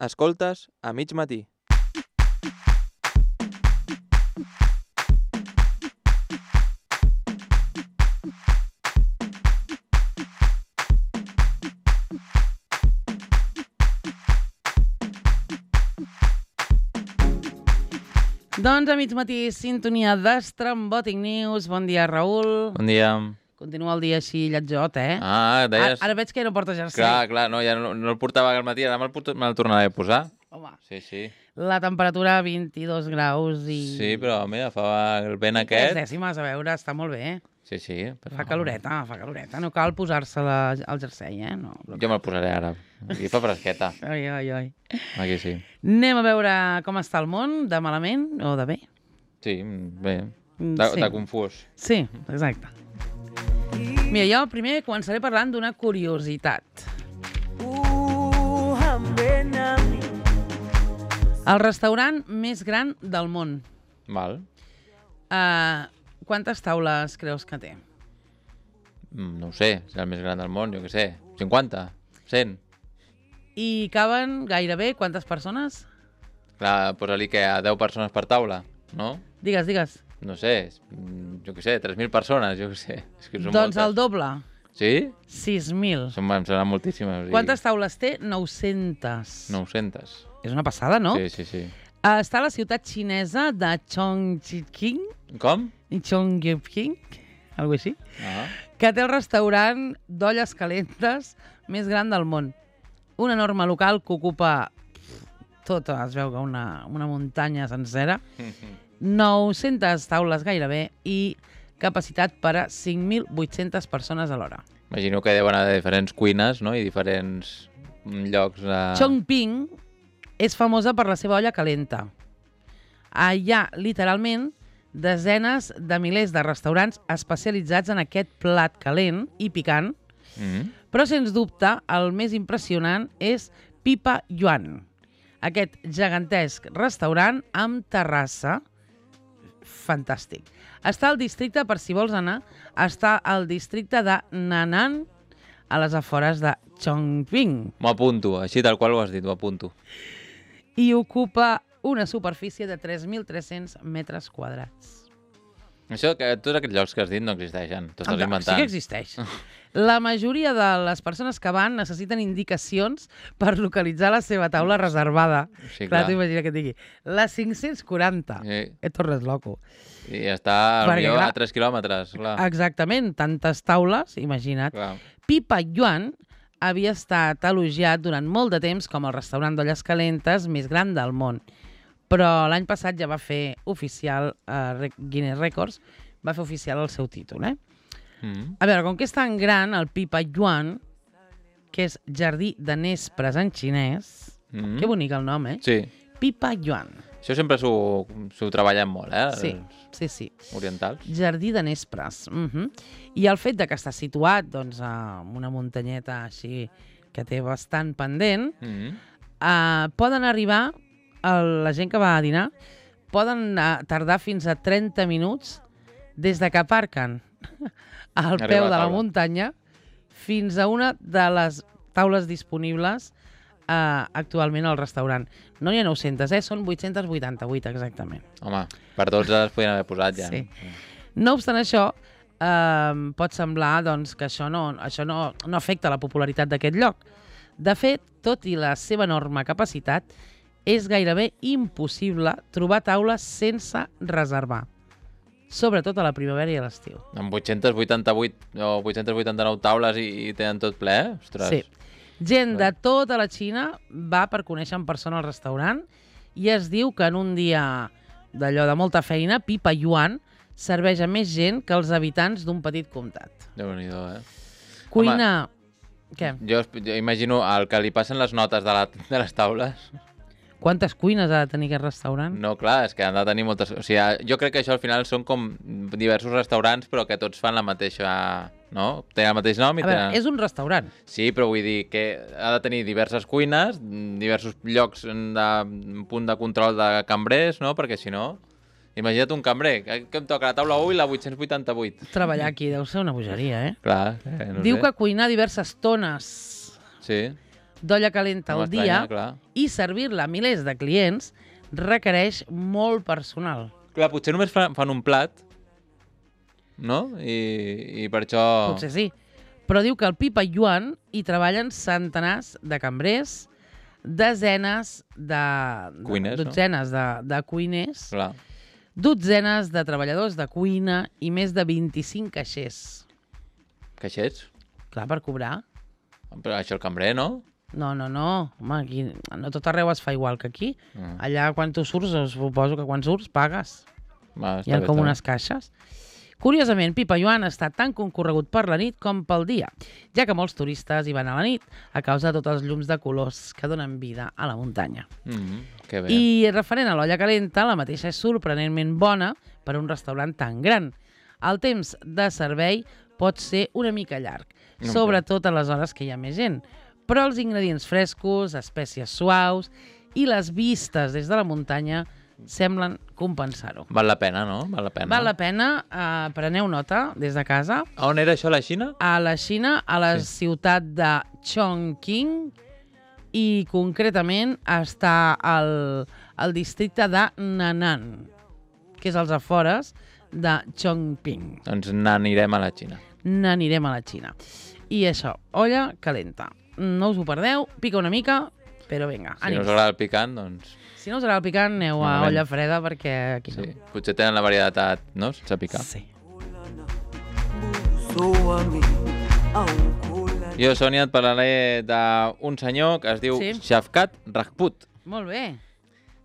Escoltes a mig matí. Doncs a mig matí, sintonia d'Estrambòtic News. Bon dia, Raül. Bon dia. Continua el dia així lletjot, eh? Deies... Ara veig que no porta jersei. Clar, no, ja no el portava al matí, ara me'l tornaré a posar. Home, Sí. la temperatura 22 graus i... Sí, però mira, fa el vent I 3 aquest... dècimes, a veure, està molt bé. Sí. Però... Fa caloreta. No cal posar-se el jersei, eh? No, Jo me'l posaré ara. Aquí fa fresqueta. Ai. Aquí sí. Anem a veure com està el món, de malament o de bé? Sí, bé. Sí. De confús. Sí, exacte. Mira, jo primer començaré parlant d'una curiositat. El restaurant més gran del món. Val. Quantes taules creus que té? No ho sé, és el més gran del món, jo què sé. 50? 100? I caben gairebé quantes persones? Clar, posa-li que a 10 persones per taula, no? Digues. No sé, jo què sé, 3.000 persones, jo què sé. És que són Doncs moltes. el doble. Sí? 6.000. Em seran moltíssimes. O sigui, Quantes taules té? 900. 900. És una passada, no? Sí. Està a la ciutat xinesa de Chongqing. Com? Chongqing, algo així. Ah. Que té el restaurant d'olles calentes més gran del món. Un enorme local que ocupa tota, es veu que una muntanya sencera, 900 taules gairebé i capacitat per a 5.800 persones alhora. Imagino que deuen haver diferents cuines, no? I diferents llocs de... Chongqing és famosa per la seva olla calenta. Hi ha, literalment, desenes de milers de restaurants especialitzats en aquest plat calent i picant, però, sens dubte, el més impressionant és Pipa Yuan, aquest gegantesc restaurant amb terrassa. Fantàstic. Està al districte, per si vols anar, està al districte de Nanan, a les afores de Chongqing. M'ho apunto, així tal qual ho has dit, m'ho apunto. I ocupa una superfície de 3.300 metres quadrats. Això, que tots aquests llocs que has dit no existeixen, t'ho estàs inventant. Sí que existeix. La majoria de les persones que van necessiten indicacions per localitzar la seva taula reservada. Sí, Clar, clar. t'ho imagina que et digui. La 540. Sí. Et tornes loco. I està Perquè, clar, a 3 quilòmetres, clar. Exactament, tantes taules, imagina't. Clar. Pipa Yuan havia estat elogiat durant molt de temps com el restaurant d'olles calentes més gran del món. Però l'any passat ja va fer oficial, Guinness Records, va fer oficial el seu títol, eh? A veure, com que és tan gran, el Pipa Yuan, que és jardí de nespres en xinès, que bonic el nom, eh? Sí. Pipa Yuan. Això sempre s'ho treballen molt, eh? Sí. Orientals. Jardí de nespres. I el fet de que està situat doncs, en una muntanyeta així que té bastant pendent, poden arribar, la gent que va a dinar, poden tardar fins a 30 minuts des de que aparquen al peu de la muntanya fins a una de les taules disponibles actualment al restaurant. No n'hi ha 900, són 888 exactament. Home, per tots les podien haver posat ja. Sí. No obstant això, pot semblar doncs, que això no afecta la popularitat d'aquest lloc. De fet, tot i la seva enorme capacitat, és gairebé impossible trobar taules sense reservar. Sobretot a la primavera i a l'estiu. Amb 888 o 889 taules i tenen tot ple, eh? Ostres. Sí. Gent de tota la Xina va per conèixer en persona el restaurant i es diu que en un dia d'allò de molta feina, Pipa Yuan serveix a més gent que els habitants d'un petit comtat. Déu-n'hi-do, eh? Cuina... Què? Jo imagino el que li passen les notes de les taules. Quantes cuines ha de tenir aquest restaurant? No, clar, és que han de tenir moltes... O sigui, jo crec que això al final són com diversos restaurants, però que tots fan la mateixa... No? Tenen el mateix nom i veure, tenen... és un restaurant. Sí, però vull dir que ha de tenir diverses cuines, diversos llocs de punt de control de cambrers, no? Perquè si no... Imagina't un cambrer, que em toca la taula 1 i la 888. Treballar aquí deu ser una bogeria, eh? Clar, no Diu sé. que cuinar diverses tones Sí. d'olla calenta No al dia m'estranya, clar. i servir-la a milers de clients requereix molt personal. Clar, potser només fan un plat, no? I per això... Potser sí. Però diu que al Pipa Yuan hi treballen centenars de cambrers, desenes de... Cuiners, no? dotzenes de cuiners, Clar. dotzenes de treballadors de cuina i més de 25 caixers. Caixets? Clar, per cobrar. Però això el cambrer, no? No. Home, aquí no tot arreu es fa igual que aquí. Allà, quan tu surts, suposo que quan surts, pagues. Va, Hi ha com unes caixes. Curiosament, Pipa Yuan està tan concorregut per la nit com pel dia, ja que molts turistes hi van a la nit a causa de tots els llums de colors que donen vida a la muntanya. Que bé. I referent a l'olla calenta, la mateixa és sorprenentment bona per a un restaurant tan gran. El temps de servei pot ser una mica llarg, sobretot a les hores que hi ha més gent, però els ingredients frescos, espècies suaus i les vistes des de la muntanya semblen compensar-ho. Val la pena, no? Val la pena. Val la pena, preneu nota des de casa. A on era això, a la Xina? A la Xina, a la ciutat de Chongqing, i concretament està al districte de Nanan, que és als afores de Chongqing. Doncs n'anirem a la Xina. N'anirem a la Xina. I això, olla calenta. No us ho perdeu, pica una mica, però vinga, Si no ànims. us agrada el picant, doncs... Si no us agrada el picant, aneu a Malament. olla freda perquè aquí no. Sí. Potser tenen la varietat, no? Sense picar. Sí. Jo, Sònia, et parlaré d'un senyor que es diu Sí. Shavkat Rajput. Molt bé.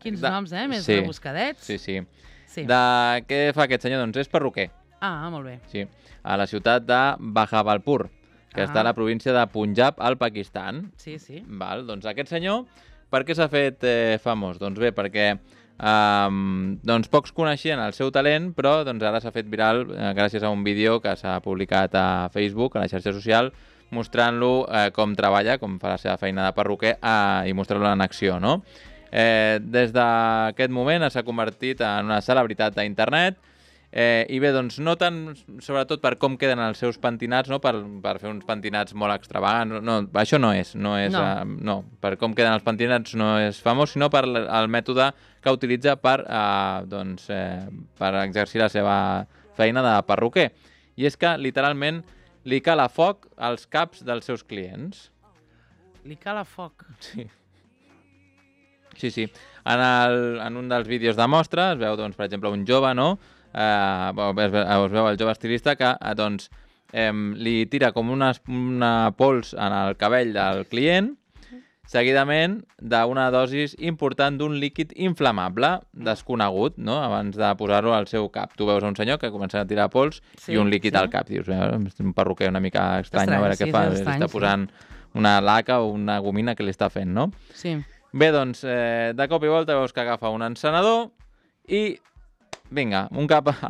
Quins De- noms, Més sí. rebuscadets. Sí, sí. Sí. Què fa aquest senyor? Doncs és perruquer. Ah, molt bé. Sí. A la ciutat de Bahawalpur, que està a la província de Punjab, al Pakistan. Sí, sí. Val, doncs aquest senyor, per què s'ha fet famós? Doncs bé, perquè doncs pocs coneixien el seu talent, però doncs ara s'ha fet viral gràcies a un vídeo que s'ha publicat a Facebook, a la xarxa social, mostrant-lo com treballa, com fa la seva feina de perruquer i mostrant-lo en acció, no? Des d'aquest moment s'ha convertit en una celebritat d'internet i bé, doncs no tant sobretot per com queden els seus pentinats, no? Per fer uns pentinats molt extravagants, no, això no és, No. no, per com queden els pentinats no és famós, sinó per el mètode que utilitza per exercir la seva feina de perruquer. I és que, literalment, li cala foc als caps dels seus clients. Li cala foc. Sí. Sí. En un dels vídeos de mostra es veu, doncs, per exemple, un jove, no? Es veu el jove estilista que doncs, li tira com una pols en el cabell del client, seguidament d'una dosis important d'un líquid inflamable desconegut, no? Abans de posar-ho al seu cap. Tu veus un senyor que comença a tirar pols i un líquid al cap. Dius, és un perruquer una mica estrany, a veure què fa. Està posant una laca o una gomina que li està fent, no? Sí. Bé, doncs, de cop i volta veus que agafa un encenedor i, vinga, el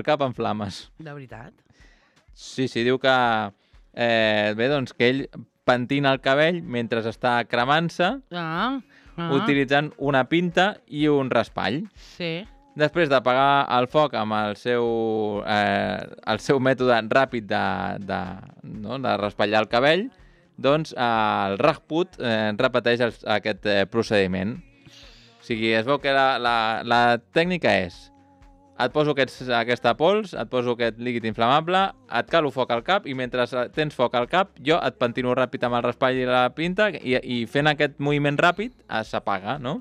cap en flames. De veritat? Sí, diu que, bé, doncs, que ell pentina el cabell mentre està cremant-se, utilitzant una pinta i un raspall. Sí. Després d'apagar el foc amb el seu mètode ràpid de raspallar el cabell, doncs el Rajput repeteix aquest procediment. O sigui, es veu que la tècnica és: et poso aquesta pols, et poso aquest líquid inflamable, et calo foc al cap i mentre tens foc al cap jo et pentino ràpid amb el raspall i la pinta i fent aquest moviment ràpid s'apaga, no?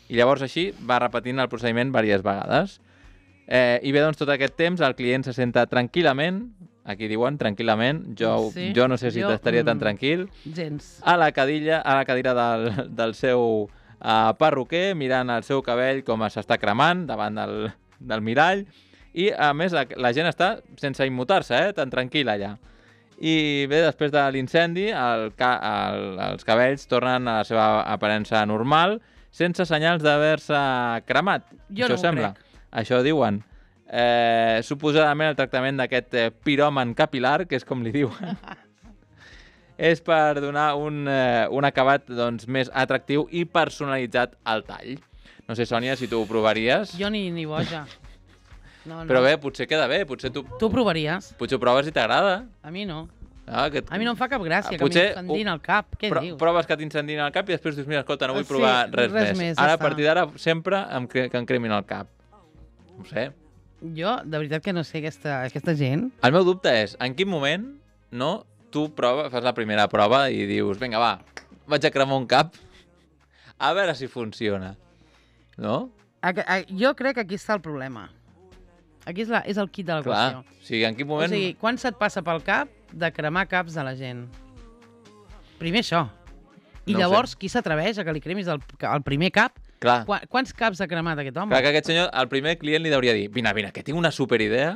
I llavors així va repetint el procediment diverses vegades. I bé, doncs tot aquest temps el client se senta tranquil·lament, aquí diuen tranquil·lament, jo no sé si estaria tan tranquil, gens. a la cadira del seu perruquer, mirant el seu cabell com s'està cremant davant del mirall, i a més la gent està sense immutar-se, tan tranquil allà. I bé, després de l'incendi els cabells tornen a la seva aparença normal, sense senyals d'haver-se cremat. Jo no ho sembla. crec. Això diuen. Suposadament el tractament d'aquest piròman capilar, que és com li diuen, és per donar un acabat doncs, més atractiu i personalitzat al tall. No sé, Sònia, si tu ho provaries. Jo ni boja. No. Però bé, potser queda bé. Potser tu Tu ho provaries? ho proves i t'agrada. A mi no. A mi no em fa cap gràcia que potser m'incendin el cap. Què dius? proves que t'incendin el cap i després dius, mira, escolta, no vull provar res més. ja Ara, a està. partir d'ara, sempre que em cremin el cap. No sé. Jo, de veritat que no sé aquesta gent. El meu dubte és, en quin moment tu fas la primera prova i dius, vinga, va, vaig a cremar un cap, a veure si funciona. No? Jo crec que aquí està el problema. Aquí és el kit de la qüestió. Clar, o sigui, en quin moment... O sigui, quan se't passa pel cap de cremar caps de la gent? Primer això. I No ho llavors, qui s'atreveix a que li cremis el primer cap? Clar, Quants caps ha cremat aquest home? clar que aquest senyor, el primer client li hauria dir, vine, que tinc una superidea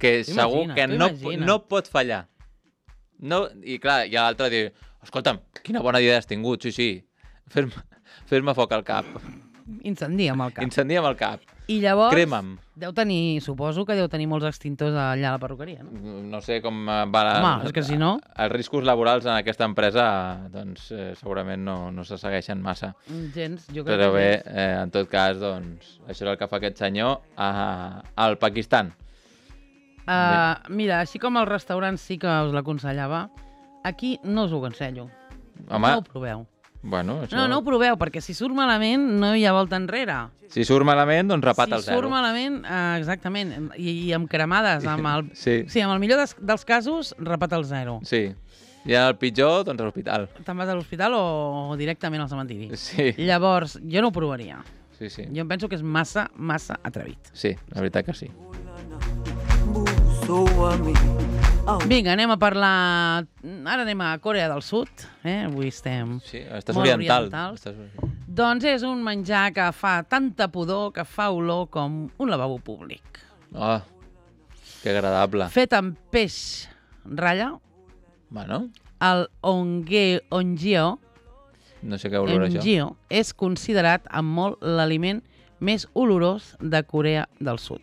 que segur que no pot fallar. No, i clar, i l'altre diu, escolta'm, quina bona idea has tingut, sí, fer-me foc al cap, Incendia'm el cap. incendia'm el cap, I llavors, crema'm. suposo que deu tenir molts extintors allà a la perruqueria, no? No sé com va... Home, és que si no... Els riscos laborals en aquesta empresa, doncs, segurament no se segueixen massa. Gens, jo crec Però que bé, gens. en tot cas, doncs, això és el que fa aquest senyor al Pakistan. Mira, així com als restaurants sí que us l'aconsellava, aquí no us ho aconsello. Home, No ho proveu. bueno, això... No ho proveu, perquè si surt malament no hi ha volta enrere. Si surt malament, doncs rapat Si al zero. surt malament, exactament, i amb cremades, amb el... Sí. Sí, amb el millor dels casos, rapat al zero. Sí. I el pitjor, doncs a l'hospital. Te'n vas a l'hospital o directament al cementiri. Sí. Llavors, jo no ho provaria. Sí. Jo em penso que és massa atrevit. Sí, la veritat que sí. Vinga, anem a parlar... Ara anem a Corea del Sud. Avui estem... Sí, estàs molt oriental. orientals. Doncs és un menjar que fa tanta pudor que fa olor com un lavabo públic. Oh, que agradable. Fet amb peix ratlla, Bueno, el ongeo no sé què olor això. és considerat amb molt l'aliment més olorós de Corea del Sud.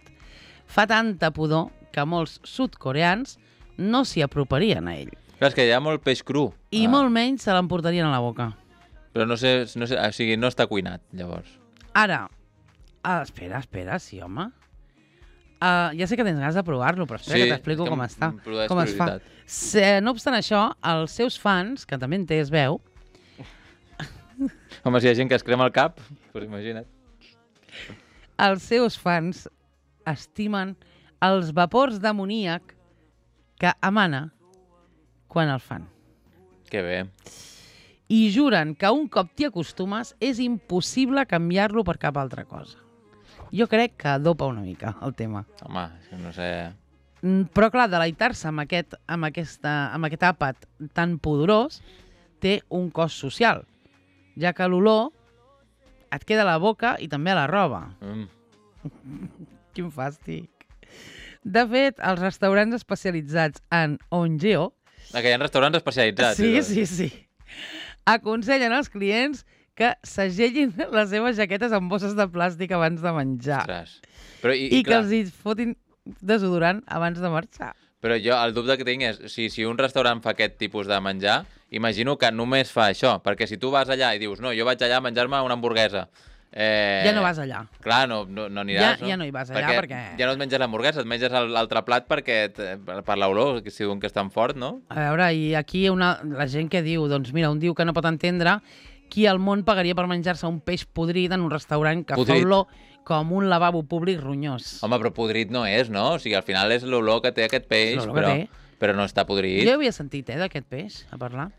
Fa tanta pudor que molts sud-coreans no s'hi aproparien a ell. Clar, és que hi ha molt peix cru. I molt menys se l'emportarien a la boca. Però no sé, o sigui, no està cuinat, llavors. Ara, espera, sí, home. Ja sé que tens ganes de provar-lo, però espera que t'explico com està. Com es fa. No obstant això, els seus fans, que també en té, es veu... Home, si hi ha gent que es crema el cap, doncs imagina't. Els seus fans estimen els vapors d'amoníac que emana quan el fan. Que bé. I juren que un cop t'hi acostumes és impossible canviar-lo per cap altra cosa. Jo crec que dopa una mica el tema. Home, és que no sé... Però clar, deleitar-se amb aquest àpat tan poderós té un cost social, ja que l'olor et queda a la boca i també a la roba. Quin fàstic. De fet, els restaurants especialitzats en ongeo... Que hi ha restaurants especialitzats. Sí. Aconsellen als clients que segellin les seves jaquetes amb bosses de plàstic abans de menjar. Ostres. Però, I que els hi fotin desodorant abans de marxar. Però jo el dubte que tinc és, si un restaurant fa aquest tipus de menjar, imagino que només fa això, perquè si tu vas allà i dius, no, jo vaig allà a menjar-me una hamburguesa... Ja no vas allà. Clar, no aniràs, Ja no hi vas allà perquè... Ja no et menges l'hamburguesa, et menges l'altre plat per l'olor, que si diuen que és tan fort, no? A veure, i aquí la gent que diu, doncs mira, un diu que no pot entendre qui al món pagaria per menjar-se un peix podrit en un restaurant que fa olor com un lavabo públic ronyós. Home, però podrit no és, no? O sigui, al final és l'olor que té aquest peix, però no està podrit. Jo havia sentit, d'aquest peix, a parlar.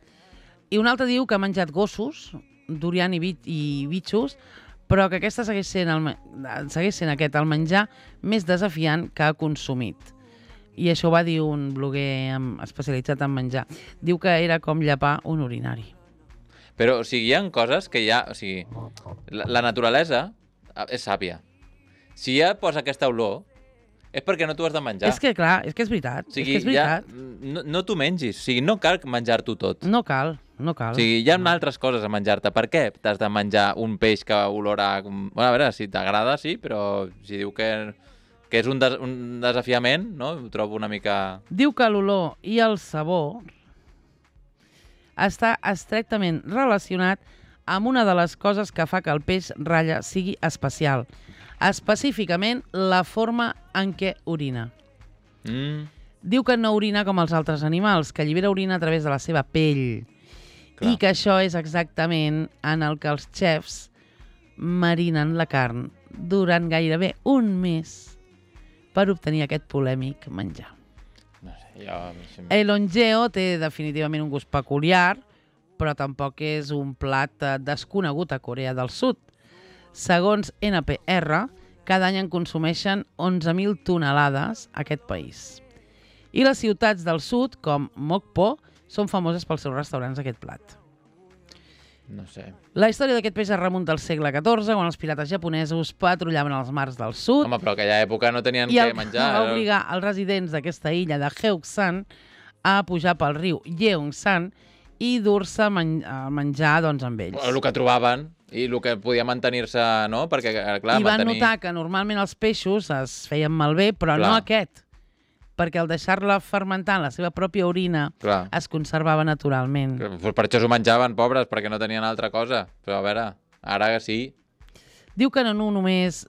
I un altre diu que ha menjat gossos, durian i bitxos, però que aquesta segueix sent aquest el menjar més desafiant que ha consumit. I això ho va dir un bloguer especialitzat en menjar. Diu que era com llepar un urinari. Però, o sigui, hi ha coses que ja... O sigui, la naturalesa és sàvia. Si ja posa aquesta olor, és perquè no t'ho has de menjar. És que, clar, és veritat. O sigui, ja no t'ho mengis. O sigui, no cal menjar-t'ho tot. No cal. O sigui, hi ha altres coses a menjar-te. Per què t'has de menjar un peix que olora... Bueno, a veure, si t'agrada, sí, però si diu que és un desafiament, no? Ho trobo una mica... Diu que l'olor i el sabor està estrictament relacionat amb una de les coses que fa que el peix ratlla sigui especial. Específicament, la forma en què orina. Diu que no orina com els altres animals, que allibera orina a través de la seva pell. Clar. I que això és exactament en el que els xefs marinen la carn durant gairebé un mes per obtenir aquest polèmic menjar. No sé, jo... El ongeo té definitivament un gust peculiar, però tampoc és un plat desconegut a Corea del Sud. Segons NPR, cada any en consumeixen 11.000 tonelades a aquest país. I les ciutats del sud, com Mokpo, són famoses pels seus restaurants d'aquest plat. No sé. La història d'aquest peix es remunta al segle XIV, quan els pirates japonesos patrullaven els mars del sud. Home, però aquella època no tenien I què menjar. va obligar els residents d'aquesta illa de Heungsan a pujar pel riu Yeongsan i dur-se menjar doncs, amb ells. El que trobaven i el que podia mantenir-se, no? Perquè, clar, I van notar que normalment els peixos es feien malbé, però Clar. no aquest, perquè al deixar-la fermentar en la seva pròpia orina Clar. es conservava naturalment. Per això s'ho menjaven, pobres, perquè no tenien altra cosa. Però a veure, ara sí. Diu que no només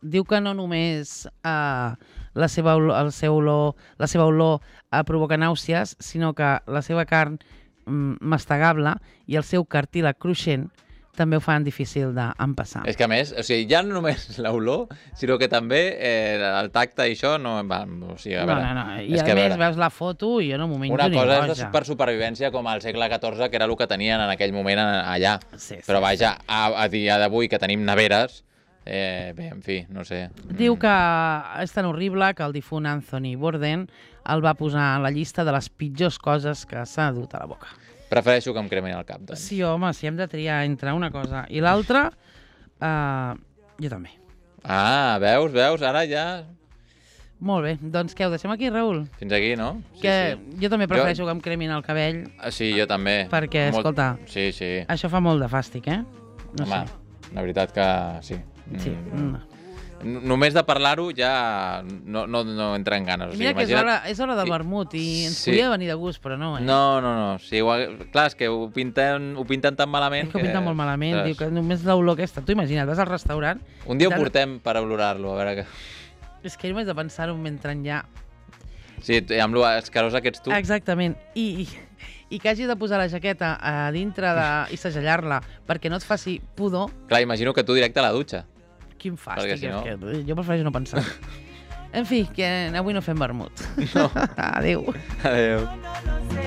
la seva olor provoca nàusees, sinó que la seva carn mastegable i el seu cartílag cruixent també ho fan difícil d'empassar. És que a més, o sigui, ja no només l'olor, sinó que també el tacte i això no... Va, o sigui, a veure, No. I és a que, més veus la foto i jo no m'ho menjo una ni cosa boja. és per supervivència com al segle XIV, que era el que tenien en aquell moment allà. Sí, Però vaja, a dia d'avui que tenim neveres, bé, en fi, no sé. Diu que és tan horrible que el difunt Anthony Bourdain el va posar a la llista de les pitjors coses que s'ha dut a la boca. Prefereixo que em cremin el cap, doncs. Sí, home, si hem de triar entre una cosa i l'altra, jo també. Ah, veus? Ara ja... Molt bé, doncs què, ho deixem aquí, Raül? Fins aquí, no? Sí, Que sí. jo també prefereixo que em cremin el cabell, Sí, jo també. perquè, escolta, Sí, sí. això fa molt de fàstic, eh? No Home, sé. la veritat que sí. Sí. Només de parlar-ho ja no entra en ganes. O sigui, Mira que és hora de I- vermut i ens sí. podia venir de gust, però no, eh? No. Sí, clar, és que ho pinten tan malament És que ho pinta molt malament, ostres, diu que només l'olor aquesta. Tu imagina't, vas al restaurant... Un dia ho Tant- portem per olorar-lo, a veure què... És que només de pensar-ho mentre ja... Sí, amb lo escarós que ets tu. Exactament. I que hagis de posar la jaqueta a dintre i segellar-la perquè no et faci pudor, Clar, imagino que tu directe a la dutxa. quin fàstic. Perquè si no- És que jo prefereixo no pensar. En fi, que avui no fem vermut. No. Adéu. Adéu. No lo sé.